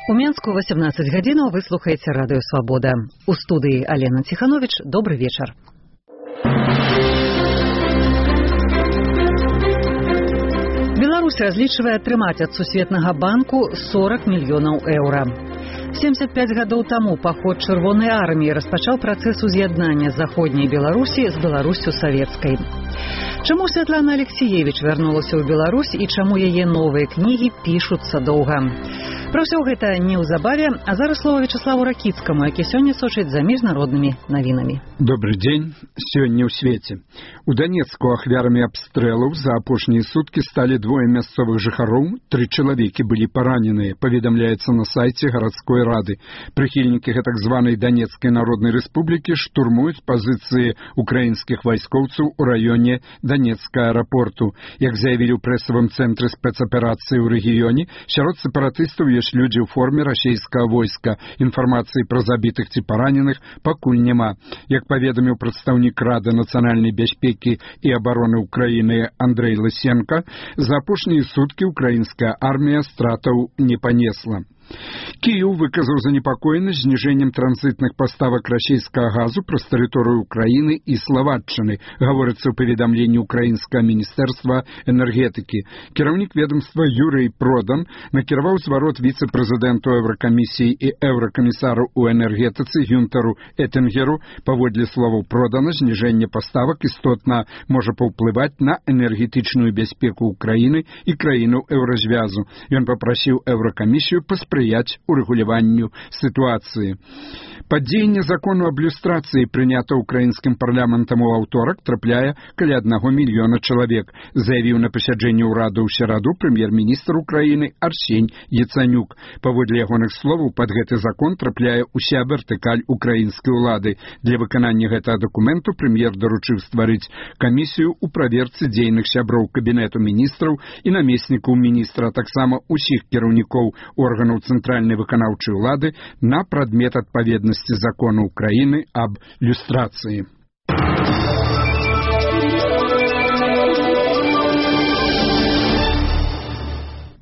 У Менску 18 гадзінаў вы слухаеце радыё «Свабода». У студыі Алена Ціханович. Добры вечар. Беларусь разлічвае атрымаць ад Сусветнага банку 40 мільёнаў еўра. 75 гадоў таму паход Чырвонай арміі распачаў працэс уз'яднання заходняй Беларусі з Беларуссю савецкай. Чаму Святлана Алексеевич вярнулася ў Беларусь і чаму яе новыя кнігі пішуцца доўга? Пра ўсё гэта неўзабаве, а зараз слова Вячеславу Ракіцкаму, які сёння сочыць за міжнароднымі навінамі. Добрый дзень. Сёння ў свеце. У Данецку ахвярамі абстрэлаў за апошнія суткі сталі двое мясцовых жыхароў, 3 чалавекі былі параненыя, паведамляецца на сайце гарадской рады. Прыхільнікі гэтак званай Данецкай народнай рэспублікі штурмуюць пазіцыі украінскіх вайскоўцаў у раёне Данецкага аэрапорту. Як заявілі ў прэсавым цэнтры спецаперацыі ў рэгіёне, сярод сепаратыстаў ёсць людзі ў форме расійскага войска. Інфармацыі пра забітых ці параненых пакуль няма. Як паведаміў прадстаўнік Рады нацыянальнай бяспекі і абароны Украіны Андрэй Лысенко, за апошнія суткі украінская армія стратаў не панесла. Кіеў выказаў занепакоенасць зніжэннем транзітных паставак расійскага газу праз тэрыторыю Украіны і Славаччыны, гаворыцца ў паведамленні украінскага міністэрства энергетыкі. Кіраўнік ведомства Юрый Продан накіраваў зварот віцэ-прэзідэнту Еўракамісіі і еўракамісару ў энергетыцы Гюнтару Этингеру. Паводле словаў Продана, зніжэнне паставак істотна можа паўплываць на энергетычную бяспеку Украіны і краінаў еўразвязу. Ён папрасіў Еўракамісію паспрыяць урэгуляванню сітуацыі. Падзеянне закону аб люстрацыі, прынята ўкраінскім парламентам у аўторак, трапляе каля 1 мільёна чалавек, заявіў на пасяджэнні ўраду ў сераду прэм'ер-міністр Украіны Арсень Яцанюк. Паводле ягоных словаў, пад гэты закон трапляе ўся вертыкаль украінскай улады. Для выканання гэтага дакументу прэм'ер даручыў стварыць камісію ў праверцы дзейных сяброў кабінету міністраў і намеснікаў міністра, а таксама ўсіх кіраўнікоў органаў цэнтральнай выканаўчай улады на прадмет адпаведнасці закону Украіны аб люстрацыі.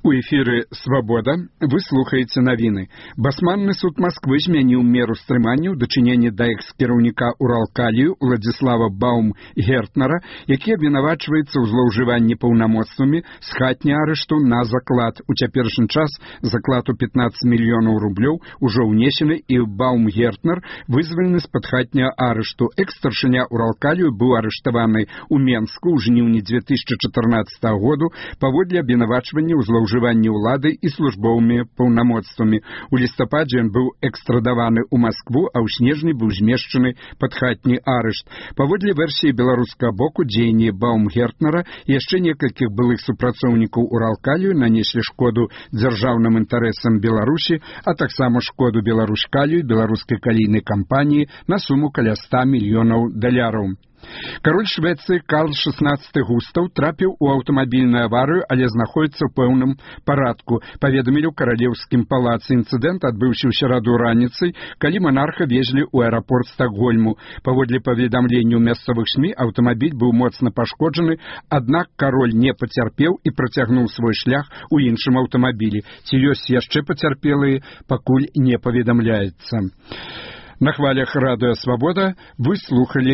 У эфіры «Свабода» вы слухаеце навіны. Басманны суд Масквы змяніў меру стрымання ў дачыненні да экс-кіраўніка Уралкалію Уладзіслава Баумгертнера, які абвінавачваецца ў злоўжыванні паўнамоцтвамі з хатні арышту на заклад. У цяперашні час заклад у 15 мільёнаў рублёў ужо ўнесены, і Баумгертнер вызвалены з-пад хатняга арышту. Экс-старшыня Уралкалію быў арыштаваны ў Менску ў жніўні 2014 году паводле абвінавачвання ў злоўжыванні ўлады і службовымі паўнамоцтвамі. У лістападзе ён быў экстрадаваны ў Маскву, а ў снежні быў змешчаны пад хатні арышт. Паводле версіі беларускага боку, дзеянні Баумгертнера і яшчэ некалькіх былых супрацоўнікаў Уралкалію нанеслі шкоду дзяржаўным інтарэсам Беларусі, а таксама шкоду Беларускалію, беларускай калійнай кампаніі на суму каля 100 мільёнаў даляраў. Кароль Швецыі Карл XVI Густаў трапіў у аўтамабільную аварыю, але знаходзіцца ў пэўным парадку. Паведамілі ў каралеўскім палацы. Інцыдэнт адбыўся ў сераду раніцай, калі манарха везлі ў аэрапорт Стакгольму. Паводле паведамленняў мясцовых СМІ, аўтамабіль быў моцна пашкоджаны, аднак кароль не пацярпеў і працягнуў свой шлях у іншым аўтамабілі. Ці ёсць яшчэ пацярпелыя, пакуль не паведамляецца. На хвалях радыё «Свабода» вы слухалі